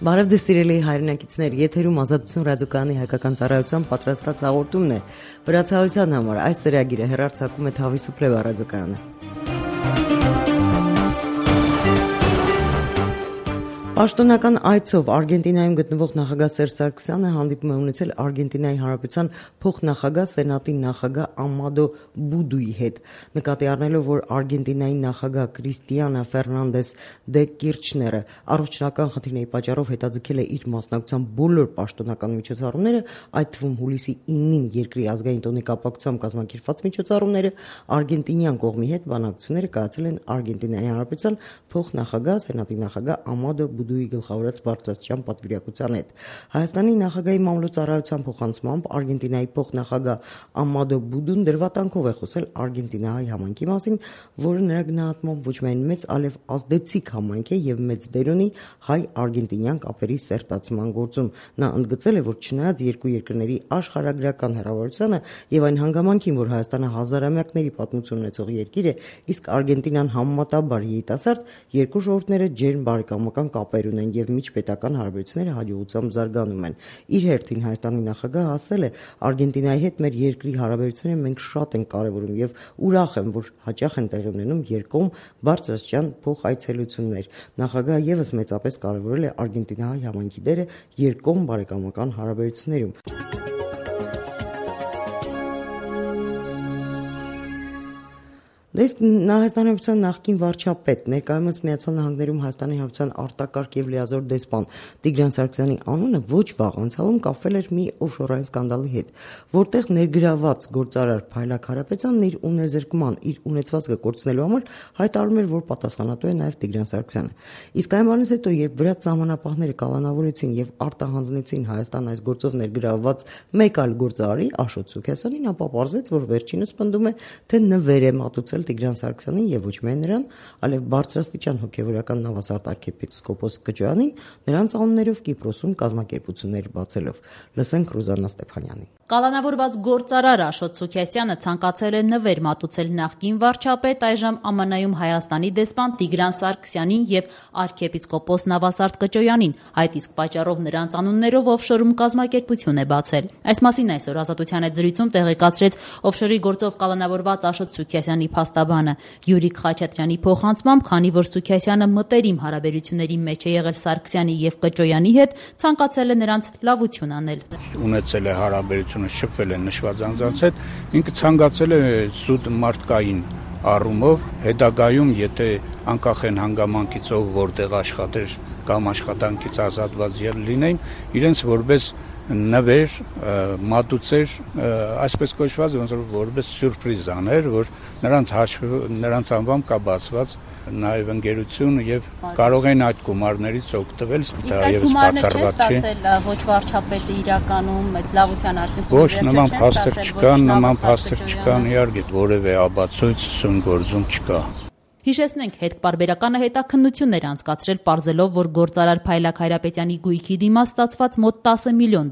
Բարև ձեզ սիրելի հայրենակիցներ, եթերում Ազատություն ռադիոկայանի հայկական ծառայության պատրաստած հաղորդումն է։ Վրացահայության համար այս ծրագիրը հեռարձակում է Թավիսուփլեվա ռադիոկայանը։ Պաշտոնական այցով Արգենտինայում գտնվող նախագահ Սերժ Սարգսյանը հանդիպում է ունեցել Արգենտինայի Հանրապետության փոխնախագահ Սենատի նախագահ Ամադո Բուդուի հետ։ Նկատի առնելով, որ Արգենտինայի նախագահ Կրիստիանա Ֆերնանդես դե Կիրչները առողջական խնդիրների պատճառով հետաձգել է իր մասնակցության բոլոր պաշտոնական միջոցառումները, այդ թվում հուլիսի 9-ին երկրի ազգային տոնի կապակցությամբ կազմակերպված միջոցառումները, արգենտինյան կողմի հետ բանակցությունները կայացել են Արգենտինայի Հանրապետության փոխնախագահ Սենատի նախագահ Ամադո Բուդուի գլխավորած բարձրաստիճան պատվիրակության հետ։ Հայաստանի նախագահի մամլոյցարայության փոխանցմամբ Արգենտինայի փոխնախագահ Ամադո Բուդուն դրվատանքով է խոսել Արգենտինահայ համայնքի մասին, որը նրա գնահատմամբ ոչ միայն մեծ, այլև ազդեցիկ համայնք է եւ մեծ դեր ունի հայ-արգենտինյան կապերի սերտացման գործում։ Նա ընդգծել է, որ չնայած երկու երկրների աշխարհագրական հեռավորությանը եւ այն հանգամանքին, որ Հայաստանը հազարամյակների պատմություն ունեցող երկիր է, իսկ Արգենտինան համեմատաբար երիտասարդ, երկու ժողովուրդները ջերմ բարեկամական կապեր ունեն եւ միջպետական հարաբերությունները հաջողությամբ զարգանում են։ Իր հերթին Հայաստանի նախագահը ասել է. Արգենտինայի հետ մեր երկրի հարաբերությունները մենք շատ ենք կարևորում եւ ուրախ եմ, որ հաճախ են տեղի ունենում երկկողմ բարձրաստիճան փոխայցելություններ։ Նախագահը եւս մեծապես կարևորել է Արգենտինահայ համայնքի դերը երկկողմ բարեկամական հարաբերություններում։ Հայաստանի Հանրապետության նախկին վարչապետ, ներկայումս Միացյալ Նահանգներում Հայաստանի Հանրապետության արտակարգ եւ լիազոր դեսպան Տիգրան Սարգսյանի անունը ոչ վաղ անցյալում կապվել էր մի օֆշորային սկանդալի հետ, որտեղ ներգրաված գործարար Փայլակ Հարապետյանն իր ունեզրկման, իր ունեցվածքը կորցնելու համար հայտարարում էր, որ պատասխանատու է նաեւ Տիգրան Սարգսյանը։ Իսկ այն բանից հետո, երբ վրաց սահմանապահները կալանավորեցին եւ արտահանձնեցին Հայաստան այս գործով ներգրաված մեկ այլ գործարարի Աշոտ Սուքիասյանին, ապա պարզվեց, որ վերջինս պնդում է, թե նվեր է մատուցել Տիգրան Սարգսյանին եւ ոչ միայն նրան, այլև բարձրաստիճան հոգեվորական նավասարդ arczepiskopos Կճոյանին, նրանց անուններով Կիպրոսում կազմակերպություններ բացելով։ Լսենք Ռուզաննա Ստեփանյանին։ Կալանավորված գործարար Աշոտ Սուքիասյանը ցանկացել է նվեր մատուցել նախկին վարչապետ, այժմ ԱՄՆ-ում Հայաստանի դեսպան Տիգրան Սարգսյանին եւ arczepiskopos Նավասարդ Կճոյանին, այդ իսկ պատճառով նրանց անուններով օֆշորում կազմակերպություն է բացել։ Այս մասին այսօր Ազատության հետ զրույցում տեղեկացրեց օֆշորի գործով կալանավորված Աշոտ Սուքիասյանի փաստաբանը Յուրիկ Խաչատրյանի փոխանցմամբ, քանի որ Սուքիասյանը մտերիմ հարաբերությունների մեջ է եղել Սարգսյանի եւ Կճոյանի հետ, ցանկացել է նրանց լավություն անել։ Ունեցել է հարաբերություն, շփվել է նշված անձանց հետ, ինքը ցանկացել է զուտ մարդկային առումով հետագայում, եթե անկախ են հանգամանքից ով որտեղ աշխատեր կամ աշխատանքից ազատված լինեին, իրենց որպես նվեր մատուցեր, այսպես կոչված, ոնց որ որպես սյուրպրիզ աներ, որ նրանց անվամբ կա բացված նաև ընկերություն եւ կարող են այդ գումարներից օգտվել, դա եւս բացառված չէ։ Ոչ վարչապետը իրականում այդ լավության արդյունքում ոչ նման փաստեր չկան, իհարկե որևէ ապացույց սուն գործում չկա։ Հիշեցնենք, հետպարբերականը հետաքննություններ անցկացրել, պարզելով, որ գործարար Փայլակ Հայրապետյանի գույքի դիմաց ստացված մոտ $10 միլիոն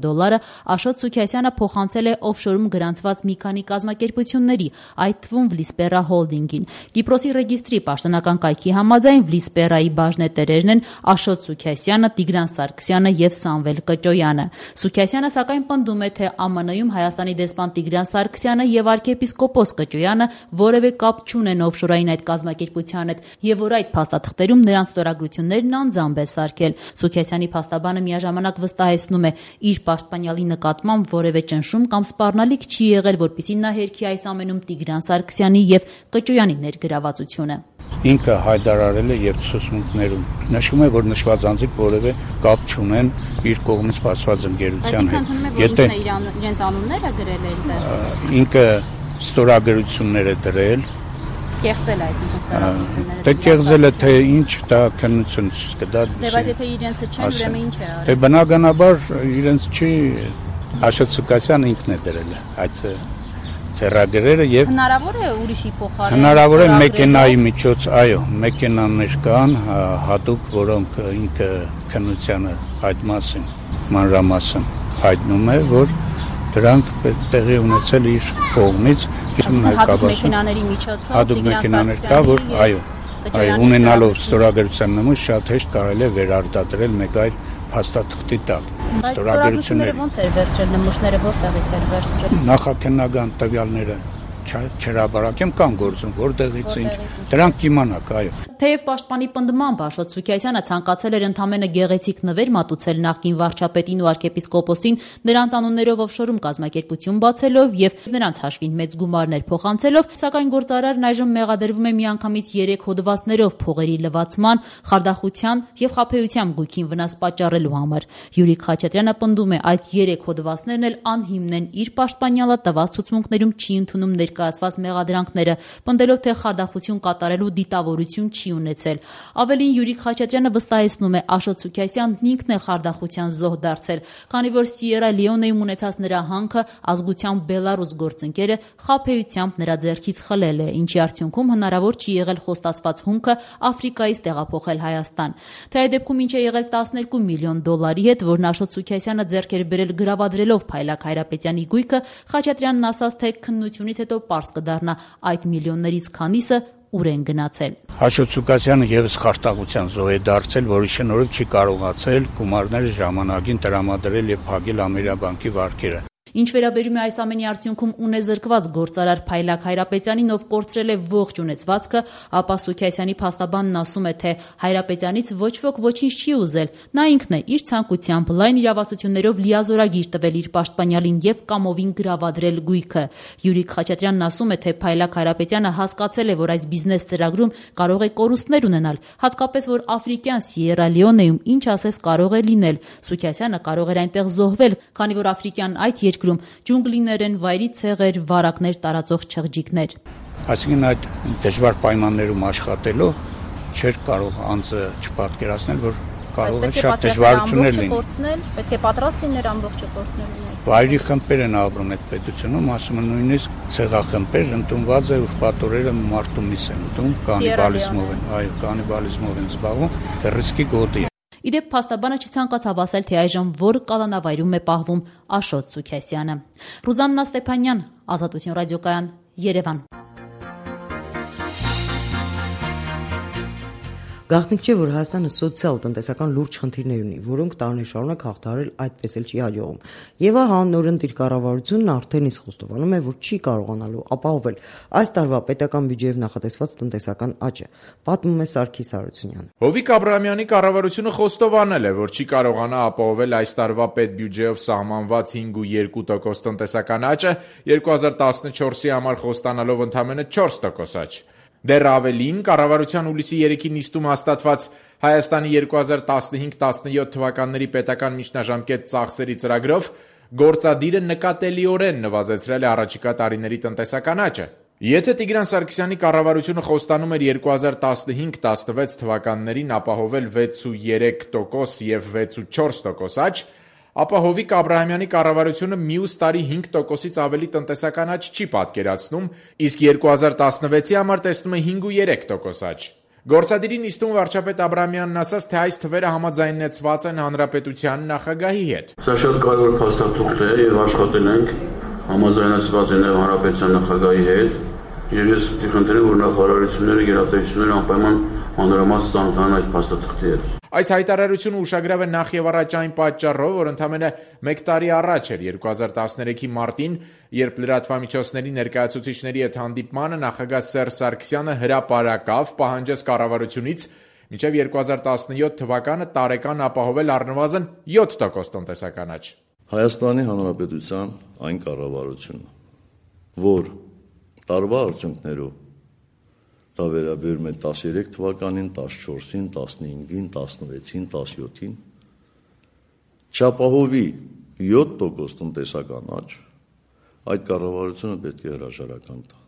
Աշոտ Սուքիասյանը փոխանցել է օֆշորում գրանցված մի քանի կազմակերպությունների, այդ թվում Վլիսպերա հոլդինգին։ Կիպրոսի ռեգիստրի պաշտոնական կայքի համաձայն Վլիսպերայի բաժնետերերն են Աշոտ Սուքիասյանը, Տիգրան Սարգսյանը եւ Սամվել Կճոյանը։ Սուքիասյանը սակայն պնդում է, թե ԱՄՆ-ում Հայաստանի դեսպան Տիգրան Սարգսյանը եւ arczepiskopos Կճոյանը որևէ կապ չունեն օֆշորային այդ կազմակերպությունների հետ եւ որ այդ փաստաթղթերում նրանց ստորագրություններն անձամբ է սարքել։ Սուքիասյանի փաստաբանը միաժամանակ վստահեցնում է, իր պաշտպանյալի նկատմամբ որևէ ճնշում կամ սպառնալիք չի եղել, որպեսզի նա հերքի այս ամենում Տիգրան Սարգսյանի եւ Կճոյանի ներգրավվածությունը։ Ինքը հայտարարել է եւ ցուցմունքներում նշում է, որ նշված անձիկ որևէ կապ չունեն իր կողմից բացված ընկերության հետ։ Եթե իրենց անունները գրել է այնտեղ, ինքը ստորագրություններ է դրել, կեղծել է այսինքն ստորագրությունները։ Դե կեղծել է, թե ինչ դա քննություն չկա, դա։ Դե բայց եթե իրենցը չեն, ուրեմն ինչ է արել։ Դե բնականաբար իրենց չի, Աշոտ Սուքիասյանը ինքն է դրել այդ ծրագրերը եւ հնարավոր է ուրիշի փոխարեն։ Հնարավոր է մեքենայի միջոց, այո, մեքենաներ կան հատուկ, որոնք ինքը քննությանը այդ մասին մանրամասն հայտնում է, որ դրանք տեղի ունեցել իր կողմից, հատուկ մեքենաների միջոցով հատուկ մեքենաներ կա, որ այո, ունենալով ստորագրության նմուշ շատ հեշտ կարելի է վերարտադրել մեկ այլ փաստաթղթի տակ։ Ստորագրությունները ո՞նց էր վերցրել, նմուշները որտեղից էր վերցրել։ Նախաքննական տվյալները չհրաբարակեմ կամ գործում որտեղից ինչ դրանք կիմանաք, այո։ Թեև պաշտպանի պնդմամբ Աշոտ Սուքիասյանը ցանկացել էր ընդամենը գեղեցիկ նվեր մատուցել նախկին վարչապետին ու arczepiskoposin նրանց անուններով օֆշորում կազմակերպություն բացելով եւ նրանց հաշվին մեծ գումարներ փոխանցելով, սակայն գործարարն այժմ մեղադրվում է միանգամից 3 հոդվածներով փողերի լվացման, խարդախության եւ խաբեության գույքին վնաս պատճառելու համար։ Յուրիկ Խաչատրյանը պնդում է, այդ 3 հոդվածներն էլ անհիմն են, իր պաշտպանյալը տված ցուցմունքներում չի ընդունում ներկայացված մեղադրանքները, պնդելով, թե խարդախություն կատարելու դիտավորություն չի ունեցել։ Ավելին Յուրիկ Խաչատրյանը վստահեցնում է, Աշոտ Սուքիասյանն ինքն է խարդախության զոհ դարձել, քանի որ Սիերա Լեոնեում ունեցած նրա հանքը ազգությամբ բելարուս գործընկերը խաբեությամբ նրա ձեռքից խլել է, ինչի արդյունքում հնարավոր չի եղել խոստացված հումքը Աֆրիկայից տեղափոխել Հայաստան։ Թե այդ դեպքում ինչ է եղել 12 միլիոն դոլարի հետ, որն Աշոտ Սուքիասյանը ձեռք էր բերել գրավադրելով Փայլակ Հայրապետյանի գույքը, Խաչատրյանն ասաց, թե քննությունից հետո պարզ կդառնա այդ միլիոններից քանիսը ուր են գնացել։ Աշոտ Սուքիասյանը եւս խարտաղության զոհ է դարձել, որի շնորհիվ չի կարողացել գումարները ժամանակին տրամադրել եւ փակել Ամերիաբանկի վարկերը։ Ինչ վերաբերում է այս ամենի արդյունքում ունեզրկված գործարար Փայլակ Հայրապետյանին, ով կորցրել է ողջ ունեցվածքը, ապա Սուքիասյանի փաստաբանն ասում է, թե Հայրապետյանից ոչ ոք ոչինչ չի ուզել։ Նա ինքն է իր ցանկությամբ լայն իրավասություններով լիազորագիր տվել իր պաշտպանյալին եւ կամովին գրավադրել գույքը։ Յուրիկ Խաչատրյանն ասում է, թե Փայլակ Հայրապետյանը հասկացել է, որ այս բիզնես ծրագրում կարող է կորուստներ ունենալ, հատկապես որ աֆրիկյան Սիերա Լեոնեում ինչ ասես կարող է լինել։ Սուքիասյանը կարող էր այնտեղ զոհվել, քանի որ աֆրիկյան այդ երկրում ջունգլիներ են, վայրի ցեղեր, վարակներ տարածող չղջիկներ։ Այսինքն այդ դժվար պայմաններում աշխատելով չէր կարող անձը չպատկերացնել, որ կարող է շատ դժվարություններ լինել։ Պետք է պատրաստ լիներ ամբողջը կորցնելու։ Վայրի խմբեր են ապրում այդ պետությունում, ասում են նույնիսկ ցեղախմբեր ընդունված է, ուրբաթորերը մարտումից են ուտում, կանիբալիզմով են, այո, կանիբալիզմով են զբաղվում, ռիսկի գոտի։ Իդեպ փաստաբանը չցանկացավ ասել, թե այժմ որ կալանավայրում է պահվում Աշոտ Սուքիասյանը։ Ռուզաննա Ստեփանյան, Ազատություն ռադիոկայան, Երևան։ Գաղտնիք չէ, որ Հայաստանը սոցիալ-տնտեսական լուրջ խնդիրներ ունի, որոնք տարիներ շարունակ հաղթահարել այդպես էլ չի հաջողում։ Եվ ահա նորընտիր կառավարությունն արդեն իսկ խոստովանում է, որ չի կարողանալու ապահովել այս տարվա պետական բյուջեով նախատեսված տնտեսական աճը, պատմում է Սարգիս Հարությունյանը։ Հովիկ Աբրահամյանի կառավարությունը խոստովանել է, որ չի կարողանա ապահովել այս տարվա պետբյուջեով սահմանված 5.2% տնտեսական աճը, 2014-ի համար խոստանալով ընդամենը 4% աճ։ Դեռ ավելին, կառավարության հուլիսի 3-ին նիստում հաստատված Հայաստանի 2015-17 թվականների պետական միջնաժամկետ ծախսերի ծրագրով գործադիրը նկատելիորեն նվազեցրել է առաջիկա տարիների տնտեսական աճը։ Եթե Տիգրան Սարգսյանի կառավարությունը խոստանում էր 2015-16 թվականներին ապահովել 6.3% եւ 6.4% աճ, ապա Հովիկ Աբրահամյանի կառավարությունը մյուս տարի 5%-ից ավելի տնտեսական աճ չի պատկերացնում, իսկ 2016-ի համար տեսնում է 5.3% աճ։ Գործադիրի նիստում վարչապետ Աբրահամյանն ասաց, թե այս թվերը համաձայնեցված են հանրապետության նախագահի հետ։ Սա շատ կարևոր փաստաթուղթ է եւ աշխատել ենք համաձայնեցված են հանրապետության նախագահի հետ եւ ես խնդրեմ, որ նախարարությունները, գերատեսչությունները անպայման մանրամաս ծանոթանան այդ փաստաթղթի հետ։ Այս հայտարարությունը ուշագրավ է նախ եւ առաջ այն պատճառով, որ ընդամենը 1 տարի առաջ էր 2013-ի մարտին, երբ լրատվամիջոցների ներկայացուցիչների հետ հանդիպմանը նախագահ Սերժ Սարգսյանը հրապարակավ պահանջեց կառավարությունից մինչև 2017 թվականը տարեկան ապահովել առնվազն 7% տնտեսական աճ։ Հայաստանի Հանրապետության այն կառավարությունը, որ տարվա արդյունքներով դա վերաբերում է 13 թվականին, 14-ին, 15-ին, 16-ին, 17-ին, չապահովի 7% տնտեսական աճ, այդ կառավարությունը պետք է հրաժարական տա։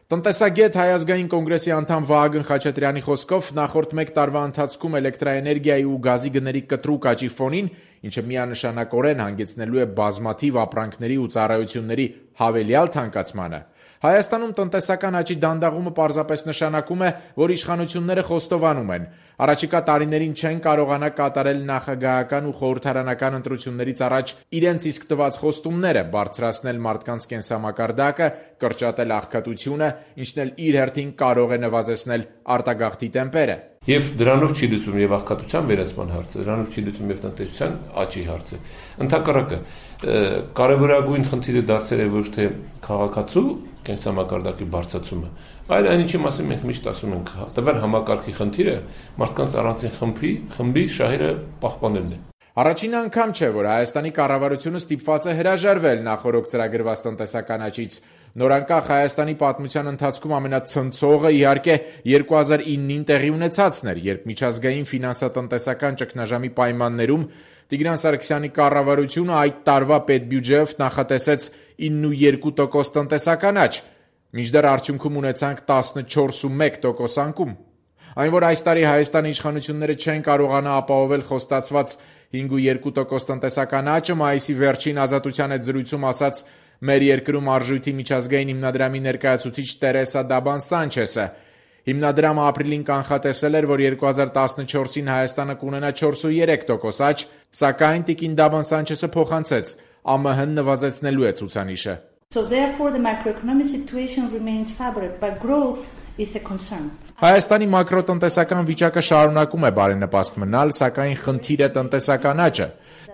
Տնտեսագետ Հայ ազգային կոնգրեսի անդամ Վահագն Խաչատրյանի խոսքով նախորդ 1 տարվա ընթացքում էլեկտրաէներգիայի ու գազի գների կտրուկ աճի ֆոնին, ինչը միանշանակորեն հանգեցնելու է բազմաթիվ ապրանքների ու ծառայությունների հավելյալ թանկացմանը, Հայաստանում տնտեսական աճի դանդաղումը պարզապես նշանակում է, որ իշխանությունները խոստովանում են, առաջիկա տարիներին չեն կարողանա կատարել նախագահական ու խորհրդարանական ընտրություններից առաջ իրենց իսկ տված խոստումները, բարձրացնել մարդկանց կենսամակարդակը, կրճատել աղքատությունը, ինչն էլ իր հերթին կարող է նվազեցնել արտագաղթի տեմպերը։ Եվ դրանով չի լուծում եւ աղքատության վերացման հարցը, դրանով չի լուծում եւ տնտեսության աճի հարցը։ Ընդհակառակը կարևորագույն խնդիրը դարձել է ոչ թե քաղաքացու կենսամակարդակի բարձրացումը, այլ այն ինչի մասին մենք միշտ ասում ենք, տվյալ համակարգի խնդիրը մարդկանց առանձին խմբի շահերը պահպանելն է։ Առաջին անգամ չէ, որ Հայաստանի կառավարությունը ստիպված է հրաժարվել նախօրոք ծրագրված տնտեսական աճից։ Նորանկախ Հայաստանի պատմության ընթացքում ամենացնցողը իհարկե 2009-ին տեղի ունեցածն էր, երբ միջազգային ֆինանսատնտեսական ճգնաժամի պայմաններում Տիգրան Սարգսյանի կառավարությունը այդ տարվա պետբյուջեով նախատեսեց 9.2% տնտեսական աճ, մինչդեռ արդյունքում ունեցանք 14.1% անկում։ Այն, որ այս տարի Հայաստանի իշխանությունները չեն կարողանա ապահովել խոստացված 5.2% տնտեսական աճը, մայիսի վերջին Ազատության հետ զրույցում ասաց մեր երկրում արժույթի միջազգային հիմնադրամի ներկայացուցիչ Տերեսա Դաբան Սանչեսը։ Հիմնադրամը ապրիլին կանխատեսել էր, որ 2014-ին Հայաստանը կունենա 4.3% աճ, սակայն տիկին Դաբան Սանչեսը փոխանցեց, ԱՄՆ-ն նվազեցնելու է ցուցանիշը։ So therefore the macroeconomic situation remains favorable, but growth is a concern. Հայաստանի մակրոտնտեսական վիճակը շարունակում է բարենպաստ մնալ, սակայն խնդիր է տնտեսական աճը։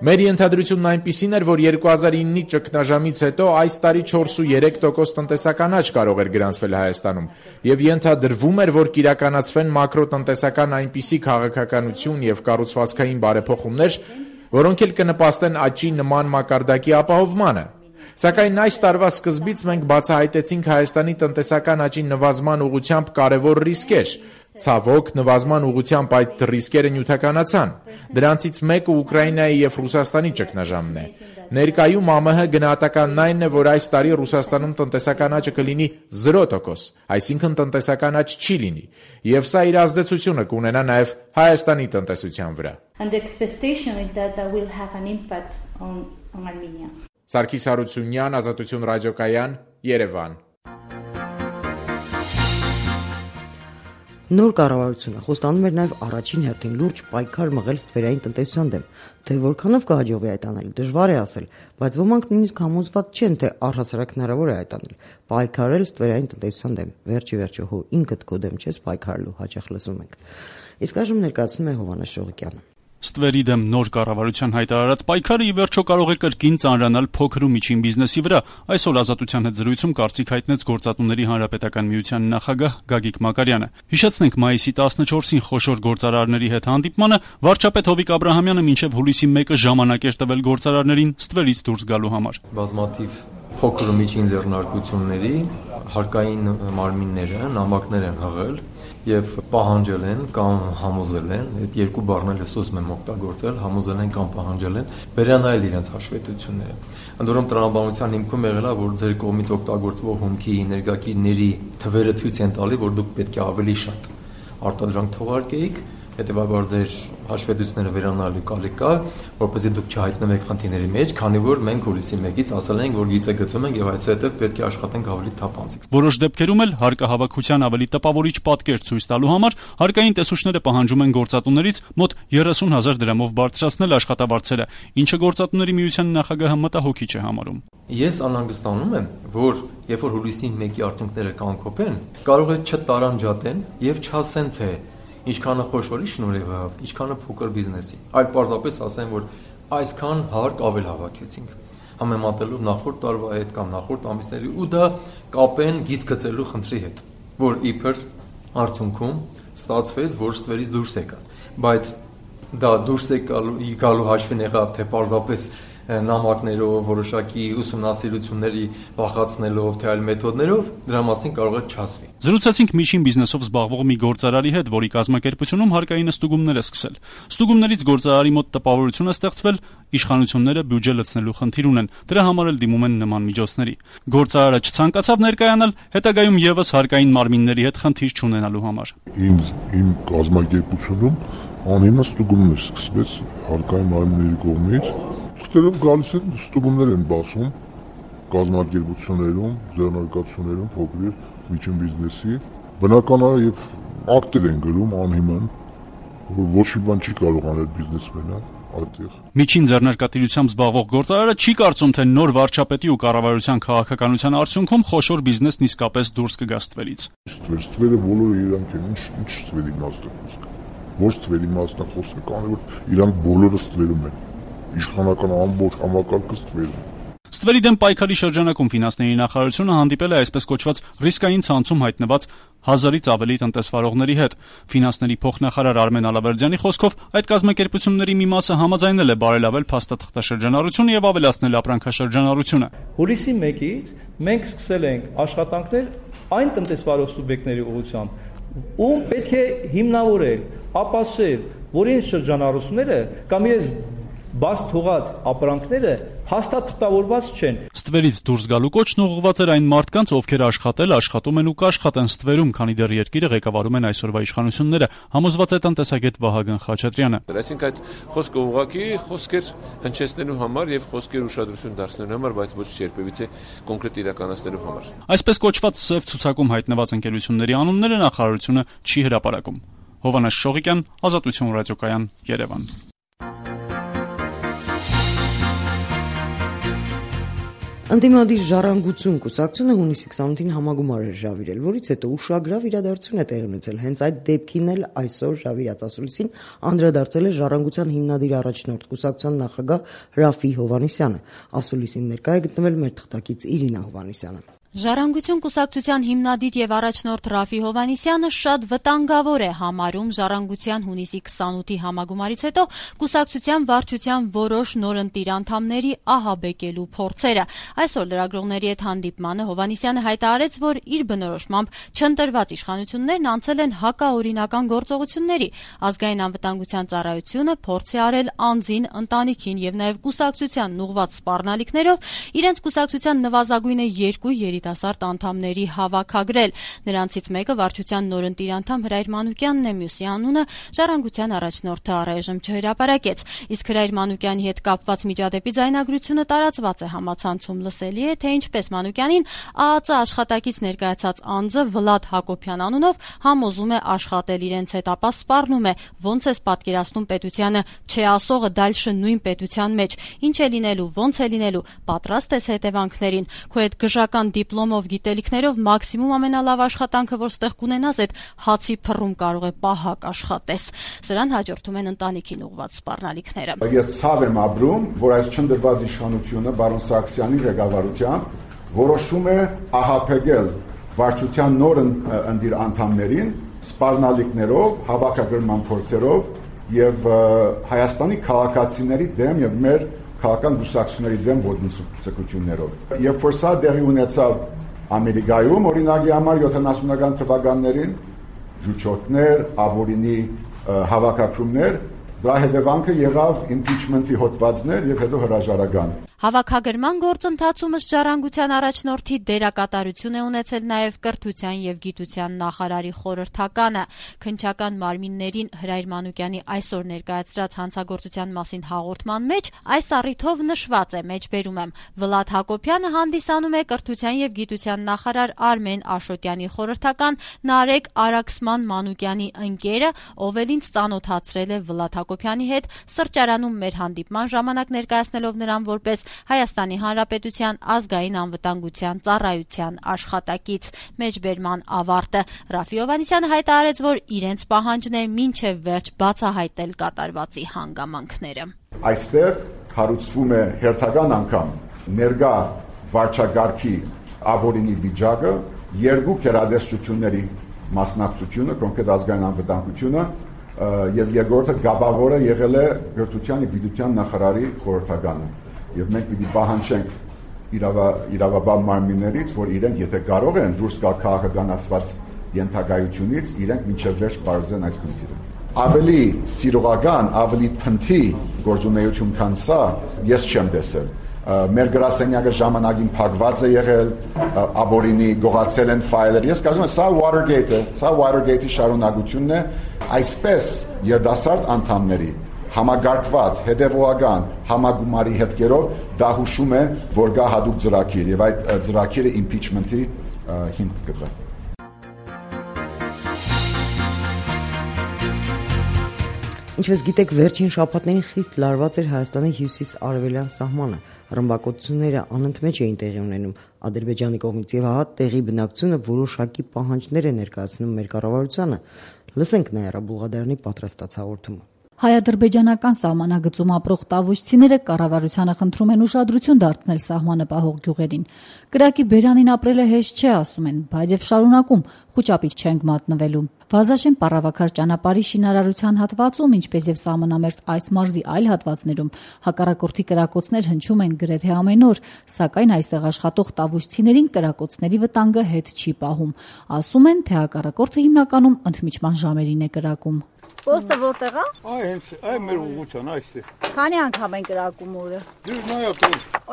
Մեր ենթադրությունն այնպիսին էր, որ 2009-ի ճգնաժամից հետո այս տարի 4.3% տնտեսական աճ կարող էր գրանցվել Հայաստանում, եւ ենթադրվում էր, որ կիրականացվեն մակրոտնտեսական այնպիսի քաղաքականություն եւ կառուցվածքային բարեփոխումներ, որոնք էլ կնպաստեն աճի նման մակարդակի ապահովմանը։ Սակայն այս տարվա սկզբից մենք բացահայտեցինք Հայաստանի տնտեսական աճի նվազման ուղղությամբ կարևոր ռիսկեր։ Ցավոք, նվազման ուղղությամբ այդ ռիսկերը նյութականացան։ Դրանցից մեկը Ուկրաինայի եւ Ռուսաստանի ճգնաժամն է։ Ներկայում ԱՄՆ գնահատականն այն է, որ այս տարի Ռուսաստանում տնտեսական աճը կլինի 0%, այսինքն տնտեսական աճ չի լինի, եւ սա իր ազդեցությունը կունենա նաեւ Հայաստանի տնտեսության վրա։ And the expectation is that will have an impact on Armenia. Սարգիս Հարությունյան, Ազատություն ռադիոկայան, Երևան։ Նոր կառավարությունը խոստանում էր նաև առաջին հերթին լուրջ պայքար մղել ստվերային տնտեսության դեմ, թե որքանով կհաջողվի այդ անել, դժվար է ասել, բայց ոմանք նույնիսկ համոզված չեն, թե առհասարակ հնարավոր է այդ անել, պայքարել ստվերային տնտեսության դեմ, վերջի հո ինքդ քո դեմ չես պայքարելու, հաճախ լսում ենք։ Իսկ այժմ ներկայացնում է Հովհաննես Շողիկյանը։ Ստվերի դեմ նոր կառավարության հայտարարած պայքարը ի վերջո կարող է կրկին ծանրանալ փոքր ու միջին բիզնեսի վրա։ Այսօր Ազատության հետ զրույցում կարծիք հայտնեց Գործատուների Հանրապետական միության նախագահ Գագիկ Մակարյանը։ Հիշեցնենք, մայիսի 14-ին խոշոր գործարարների հետ հանդիպմանը վարչապետ Հովիկ Աբրահամյանը մինչև հուլիսի 1-ը ժամանակ էր տվել գործարարներին ստվերից դուրս գալու համար։ Բազմաթիվ փոքր ու միջին ձեռնարկությունների հարկային մարմինները նամակներ են հղել եւ պահանջել են կամ համոզել են, այդ երկու բառն էլ ուզում եմ օգտագործել, համոզել են կամ պահանջել են վերանայել իրենց հաշվետվությունները։ Ընդորում տրամաբանության հիմքում եղել է, որ ձեր կողմից օգտագործվող հումքի ներգաղթիչների թվերը ցույց են տալի, որ դուք պետք է ավելի շատ արտադրանք թողարկեիք, հետեւաբար ձեր հաշվետվությունները վերանալու կարիք կա, որպեսզի դուք չհայտնվեք խնդիրների մեջ, քանի որ մենք հուլիսի 1-ից ասել ենք, որ գիծը գծում ենք եւ այսուհետեւ պետք է աշխատենք ավելի թափանցիկ։ Որոշ դեպքերում էլ հարկահավաքության ավելի տպավորիչ պատկեր ցույց տալու համար հարկային տեսուչները պահանջում են գործատուներից մոտ 30,000 դրամով բարձրացնել աշխատավարձերը, ինչը Գործատուների միության նախագահը մտահոգիչ է համարում։ Ես անհանգստանում եմ, որ երբ որ հուլիսի 1-ի արդյունքները կանգնեն, կարող է չտարանջատեն եւ չասեն, թե ինչքանը խոշորի շնորհիվ, ինչքանը փոքր բիզնեսի։ Այլ պարզապես ասեն, որ այսքան հարկ ավել հավաքեցինք, համեմատելով նախորդ տարվա հետ կամ նախորդ ամիսների ու դա կապեն գիծ գծելու խնդրի հետ, որ իբր արդյունքում ստացվեց, որ ստվերից դուրս եկան, բայց դա դուրս եկալու հաշվին եղավ, թե պարզապես նամակներով, որոշակի ուսումնասիրությունների վախացնելով, թե այլ մեթոդներով, դրա մասին կարող է չասվի։ Զրուցեցինք միջին բիզնեսով զբաղվող մի գործարարի հետ, որի կազմակերպությունում հարկային ստուգումներ է սկսել։ Ստուգումներից գործարարի մոտ տպավորություն է ստեղծվել, իշխանությունները բյուջե լցնելու խնդիր ունեն, դրա համար էլ դիմում են նման միջոցների։ Գործարարը չցանկացավ ներկայանալ, հետագայում եւս հարկային մարմինների հետ խնդիր չունենալու համար։ Իմ կազմակերպությունում անիմաստ ստուգումներ սկսվեց հարկային մարմինների կողմից։ Ստերում գալիս են ստուգումներ են բացում կազմակերպություններում, ձեռնարկություններում, փոքր միջին բիզնեսի, բնական է եւ ակտեր են գրում անհիմն, որ ոչ մի բան չի կարող անել բիզնեսմենը այդտեղ։ Միջին ձեռնարկատիրությամբ զբաղվող գործարարը չի կարծում, թե նոր վարչապետի ու կառավարության քաղաքականության արդյունքում խոշոր բիզնեսն իսկապես դուրս կգա ստվերից։ Ստվերը բոլորը իրանք են, ինչ ստվերի իմաստ է։ ոչ ստվերի մասն է խոսքը, քանի որ իրանք բոլորը ստվերում են։ Իշխանական ամբողջ համակարգը ստվերում է։ Ստվերի դեմ պայքարի շրջանակում ֆինանսների նախարարությունը հանդիպել է այսպես կոչված ռիսկային ցանցում հայտնված 1000-ից ավելի տնտեսվարողների հետ։ Ֆինանսների փոխնախարար Արմեն Ալավերդյանի խոսքով այդ կազմակերպությունների մի մասը համաձայնել է բարելավել փաստաթղթաշրջանառությունը եւ ավելացնել ապրանքաշրջանառությունը։ Հուլիսի 1-ից մենք սկսել ենք աշխատանքներ այն տնտեսվարող սուբյեկտների ուղղությամբ, ում պետք է հիմնավորել, ապացուցել, որ իրենց շրջանառությունները կամ իրենց բաց թողած ապրանքները հաստատվորված չեն։ Ստվերից դուրս գալու կոչն ուղղված էր այն մարդկանց, ովքեր աշխատել, աշխատում են ու կաշխատեն ստվերում, քանի դեռ երկիրը ղեկավարում են այսօրվա իշխանությունները, համոզված է տնտեսագետ Վահագն Խաչատրյանը։ Այսինքն այդ խոսքը ուղղակի խոսքեր հնչեցնելու համար եւ խոսքեր ուշադրություն դարձնելու համար, բայց ոչ երբևիցե կոնկրետ իրականացնելու համար։ Այսպես կոչված սև ցուցակում հայտնված ընկերությունների անունները նախարարությունը չի հրապարակում։ Հովանես Շողիկյան, Ազատություն ռադիոկայան, Երևան։ Ընդդիմադիր ժառանգություն կուսակցությունը հունիսի 28-ին համագումար էր հրավիրել, որից հետո ուշագրավ իրադարձություն է տեղի ունեցել։ Հենց այդ դեպքին էլ այսօր հրավիրած ասուլիսին անդրադարձել է ժառանգության հիմնադիր առաջնորդ կուսակցության նախագահ Ռաֆի Հովհաննիսյանը։ Ասուլիսին ներկա է գտնվել մեր թղթակից Իրինա Հովհաննիսյանը։ Ժառանգություն կուսակցության հիմնադիր եւ առաջնորդ Ռաֆի Հովհաննիսյանը շատ վտանգավոր է համարում ժառանգության հունիսի 28-ի համագումարից հետո կուսակցության վարչության որոշ նորընտիր անդամների ահաբեկելու փորձերը։ Այսօր լրագրողների հետ հանդիպմանը Հովհաննիսյանը հայտարարեց, որ իր բնորոշմամբ չընտրված իշխանություններն անցել են հակաօրինական գործողությունների։ Ազգային անվտանգության ծառայությունը փորձ է արել անձին, ընտանիքին եւ նաեւ կուսակցության ուղղված սպառնալիքներով իրենց կուսակցության նվազագույնը 2 երիտասարդ անդամների հավաքագրել։ Նրանցից մեկը վարչության նորընտիր անդամ Հրայր Մանուկյանն է, մյուսի անունը ժառանգության առաջնորդը առայժմ չհրապարակեց։ Իսկ Հրայր Մանուկյանի հետ կապված միջադեպի ձայնագրությունը տարածված է համացանցում, լսելի է, թե ինչպես Մանուկյանին ԱԱԾ աշխատակից ներկայացած անձը Վլադ Հակոբյան անունով համոզում է աշխատել իրենց հետ, ապա սպառնում է, ոնց ես պատկերացնում պետությանը, չէ ասողը դալշը նույն պետության մեջ, ինչ է լինելու, ոնց է լինելու, պատրաստ ես հետևանքներին, քո հետ գժական դիպլոմով, գիտելիքներով մաքսիմում ամենալավ աշխատանքը, որ ստեղ կունենաս, այդ հացի փռում կարող է պահակ աշխատես։ Սրան հաջորդում են ընտանիքին ուղղված սպառնալիքները։ Ես ցավ եմ ապրում, որ այս չնդրված իշխանությունը բարոն Սարգսյանի ղեկավարությամբ որոշում է ահաբեկել վարչության նոր ընդիր անդամներին սպառնալիքներով, հավաքագրման փորձերով եւ Հայաստանի քաղաքացիների դեմ եւ մեր քաղաքական գուսակցությունների դեմ ոտնձգություններով։ Երբ որ սա դեղի ունեցավ Ամերիկայում, օրինակի համար 70-ական թվականներին ջուչոտներ, աբորինի հավաքագրումներ, դրա հետևանքը եղավ իմպիչմենտի հոդվածներ եւ հետո հրաժարական։ Հավաքագրման գործընթացում ըստ ժառանգության առաջնորդի դերակատարություն է ունեցել նաև կրթության եւ գիտության նախարարի խորհրդականը։ Քննչական մարմիններին Հրայր Մանուկյանի այսօր ներկայացրած հանցագործության մասին հաղորդման մեջ այս առիթով նշված է, մեջբերում եմ, Վլադ Հակոբյանը հանդիսանում է կրթության եւ գիտության նախարար Արմեն Աշոտյանի խորհրդական Նարեկ Արաքսման Մանուկյանի ընկերը, ով էլ ինձ ծանոթացրել է Վլադ Հակոբյանի հետ սրճարանում մեր հանդիպման ժամանակ ներկայացնելով նրան որպես Հայաստանի Հանրապետության ազգային անվտանգության ծառայության աշխատակից։ Մեջբերման ավարտը Ռաֆի Հովհաննիսյանը հայտարարեց, որ իրենց պահանջն է մինչև վերջ բացահայտել կատարվածի հանգամանքները։ Այստեղ հարուցվում է հերթական անգամ ներկա վարչագահի աբորինի վիճակը, երկու գերադասությունների մասնակցությունը, կոնկրետ ազգային անվտանգությունը եւ երկրորդը գաբավորը եղել է կրթության եւ գիտության նախարարի խորհրդականը։ Եվ մենք պիտի պահանջենք իրավաբան մարմիններից, որ իրենք եթե կարող են դուրս գալ քաղաքականացված ենթակայությունից, իրենք մինչև վերջ բարձրեն այս խնդիրը։ Ավելի սիրողական, ավելի փնթի գործունեություն քան սա ես չեմ տեսել։ Մեր գրասենյակը ժամանակին փակված է եղել, աբորինի գողացել են ֆայլեր։ Ես կարծում եմ սա Watergate-ի շարունակությունն է, այսպես երդասարդ անդամների համագարկված, հետևողական համագումարի հետքերով դա հուշում է, որ գա հատուկ ծրագիր եւ այդ ծրագիրը impeachment-ի հիմք կտա։ Ինչպես գիտեք, վերջին շաբաթներին խիստ լարված էր Հայաստանի հյուսիս-արևելյան սահմանը։ Ռմբակոծությունները անընդմեջ էին տեղի ունենում Ադրբեջանի կողմից եւ հա տեղի բնակչությունը որոշակի պահանջներ է ներկայացնում մեր կառավարությանը։ Լսենք Նաիրա Բուլղադարյանի պատրաստած հաղորդումը։ Հայ-ադրբեջանական սահմանագծում ապրող տավուշցիները կառավարությանը խնդրում են ուշադրություն դարձնել սահմանը պահող գյուղերին։ Կրակի բերանին ապրելը հեշտ չէ, ասում են, բայց եւ շարունակում խուճապից չենք մատնվելու։ Վազաշեն Պառավաքար ճանապարհի շինարարության հատվածում, ինչպես եւ սահմանամերձ այս մարզի այլ հատվածներում, հակառակորդի կրակոցներ հնչում են գրեթե ամեն օր, սակայն այստեղ աշխատող տավուշցիներին կրակոցների վտանգը հետ չի պահում։ Ասում են, թե հակառակորդը հիմնականում ընդմիջման ժամերին է կրակում։ Պոստը որտեղ է? Հենց այ մեր ուղղության այստեղ։ Քանի անգամ են կրակում օրը։ Դու նայած։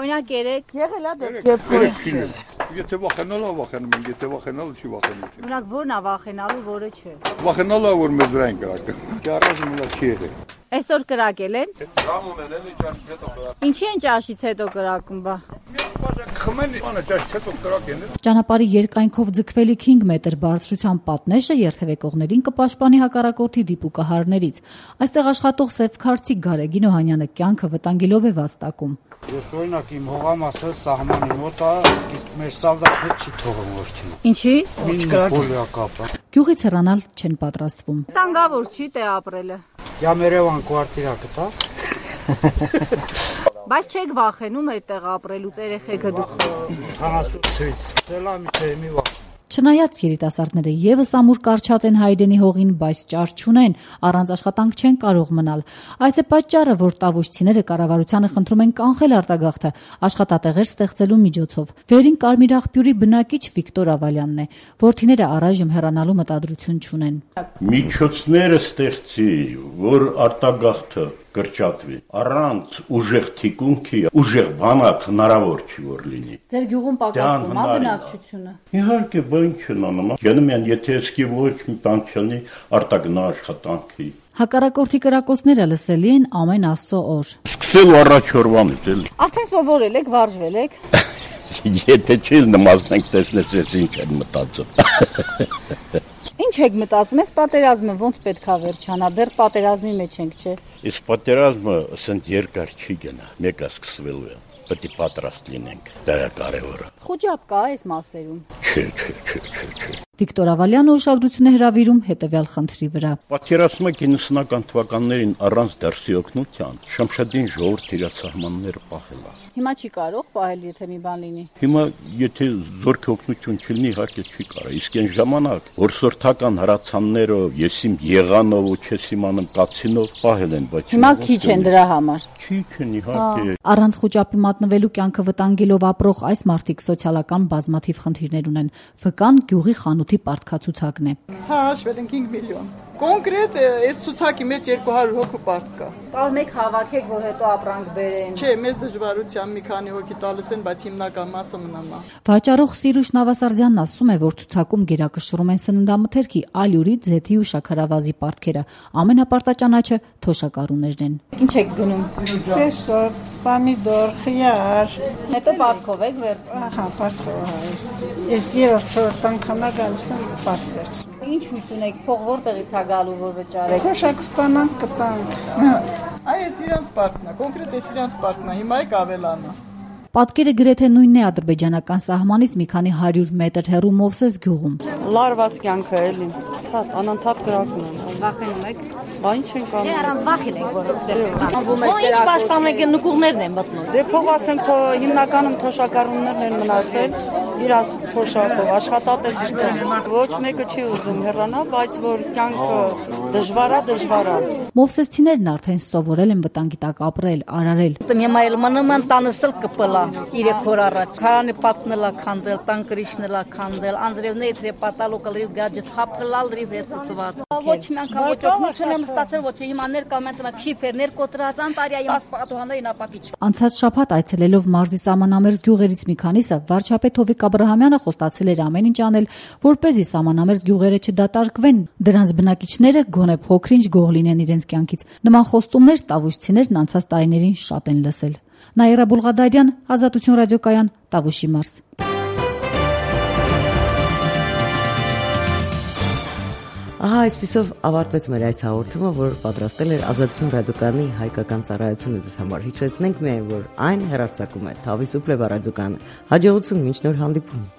Օրինակ 3 եղել է դեպք։ Եթե վախենալը վախենում են, եթե վախենալը չի վախենում։ Օրինակ որն է վախենալու, որը չէ։ Վախենալը որ մեզ վրա են կրակում։ Ճարաժը մնա չի եղել։ Այսօր կրակել են։ Ռամ ունեն, էլի ճաշից հետո կրակում։ Ինչի են ճաշից հետո կրակում, բա։ Խմեն, անը ճաշից հետո կրակեն։ Ճանապարհի երկայնքով ձգվելիք 5 մետր բարձրության պատնեշը երթևեկողներին կպաշտպանի հակառակորդի դիպուկահարներից։ Այստեղ աշխատող Սևքարցի Գարեգին Օհանյանը կյանքը վտանգելով է վաստակում։ Ես օրինակ իմ հողամասը սահմանի մոտ է, իսկ մեր սալդատը չի թողում ոչինչ։ Ինչի? Պոլիակապը։ Գյուղից հեռանալ չեն պատրաստվում։ Տանգավոր չի թե ապրելը։ Я Երևան կվարտիրա կտա։ Բայց չեք վախենում այդտեղ ապրելուց, երեխեքը դուք։ 40-ից սկսել եմ մի վախ։ Չնայած երիտասարդները եւս ամուր կարճած են Հայդենի հողին, բայց ճար չունեն, առանց աշխատանք չեն կարող մնալ։ Այս է պատճառը, որ տավուշցիները կառավարությանը խնդրում են կանխել արտագաղթը աշխատատեղեր ստեղծելու միջոցով։ Վերին Կարմիր աղբյուրի բնակիչ Վիկտոր Ավալյանն է, որդիները առայժմ հեռանալու մտադրություն չունեն։ Միջոցները ստեղծի, որ արտագաղթը կրճատվի։ Առանց ուժեղ թիկունքի, ուժեղ բանակ հնարավոր չի որ լինի։ Ձեր գյուղում պակասում է բնակչությունը։ Իհարկե, բան չն անում։ Գնում են, եթե էսկի ոչ մի բան չունի, արտագնա աշխատանքի։ Հակառակորդի կրակոցները լսելի են ամեն Աստծո օր։ Սկսել առաջ օրվանից էլի։ Արդեն սովորել եք, վարժվել եք։ Եթե չես նմազնենք տեսնես, ես ինչ են մտածում։ Ինչ եք մտածում, այս պատերազմը ոնց պետքա վերջանա, դեռ պատերազմի մեջ ենք, չէ։ Այս պատերազմը ասենց երկար չի գնա, մեկը սկսվելու է, պետք է պատրաստ լինենք, դա է կարևորը։ Խոճապ կա այս մասերում։ Չէ։ Վիկտոր Ավալյանը ուշադրություն է հրավիրում հետևյալ խնդրի վրա։ Պատերազմը 90-ական թվականներին առանց դրսի օգնության Շամշադին ժողովուրդ իր սահմանները պահել է։ Հիմա չի կարող պահել, եթե մի բան լինի։ Հիմա եթե զորքի օգնություն չլինի, իհարկե չի կարող։ Իսկ այն ժամանակ, որ սորթական հրացաններով, եսիմ եղանով ու չես իմանում կացինով պահել են, բայց հիմա քիչ են դրա համար։ Քիչ են իհարկե։ Առանց խոճապի մատնվելու կյանքը վտանգելով ապրող այս մարդիկ սոցիալական բազմաթիվ խնդիրներ ունեն։ Վկան գյուղի խանութի պարտքացուցակն է։ Հա, հաշվել ենք 5 միլիոն։ Կոնկրետ այս ցուցակի մեջ 200 հոգու պարտ կա։ Տալ մեկ հավաքեք, որ հետո ապրանք բերեն։ Չէ, մեծ դժվարությամբ մի քանի հոգի տալիս են, բայց հիմնական մասը մնում է։ Վաճառող Սիրուշ Նավասարդյանն ասում է, որ ցուցակում գերակշռում են սննդամթերքի, ալյուրի, ձեթի ու շաքարավազի պարտքերը։ Ամենապարտաճանաչը թոշակառուներն են։ Ինչ եք գնում։ Պեսոտ, պամիդոր, խիար։ Հետո պարտքով եք վերցնում։ Ահա, պարտքով։ Ես երրորդ անգամա գալիս եմ պարտ վերցնում։ Ինչ հույս ունեք, փող որտեղից է գալու, որ վճարեք։ Թոշակ ստանանք, կտանք։ Այս իրանց պարտն է, կոնկրետ այս իրանց պարտն է, հիմա եք ավելանա։ Պատկերը գրեթե նույնն է ադրբեջանական սահմանից մի քանի 100 մետր հեռու Մովսես գյուղում։ Լարված կյանքը էլի, անընդհատ կրակում են։ Վախենում եք։ Բա ինչ ենք անում։ Չէ, առանց վախին եք, որ ստեղծել։ Ինչ պաշտպանենք, նկուղներն են մտնում։ Դե փող ասենք, հիմնականում թոշակառուներն են մնացել, իրաց թոշակով աշխատատեղ չկա։ Ոչ մեկը չի ուզում հեռանալ, բայց որ կյանքը դժվար է։ Մովսեսցիներն արդեն սովորել են վտանգի տակ ապրել, արարել։ Հիմա էլ մնում են տանսել կպլա 3 օր առաջ։ Քարանի պատնելա քանդել, տան կրիշնելա քանդել, անձրևներ իդրե պատալոկը լրիվ գաջետ հափրլալ լրիվ հետծված։ Ոչ մի անգամ ոչ օգնություն եմ ստացել, ոչ հիմա ներկամենտ շիֆերներ կոտրասան տարիայի պատուհաններին ապակիչ։ Անցած շաբաթ այցելելով մարզի սահմանամերձ գյուղերից մի քանիսը վարչապետ Հովիկ Աբրահամյանը խոստացել էր ամեն ինչ անել, որպեսզի սահմանամերձ գյուղերը չդատարկվեն, դրանց բնակիչները գոնե փոքրինչ գոհ լինեն իրենց կյանքից։ Նման խոստումներ տավուշցիներն անցած տարիներին շատ են լսել։ Նաիրա Բուլղադարյան, Ազատություն ռադիոկայան, Տավուշի մարզ։ Ահա այսպիսով ավարտվեց մեր այս հաղորդումը, որ պատրաստել էր Ազատություն ռադիոկայանի հայկական ծառայությունը ձեզ համար։ Հիշեցնենք միայն, որ այն հեռարձակում է Թավի Սուպլեվա ռադիոկայանը։ Հաջողություն, մինչ նոր հանդիպում։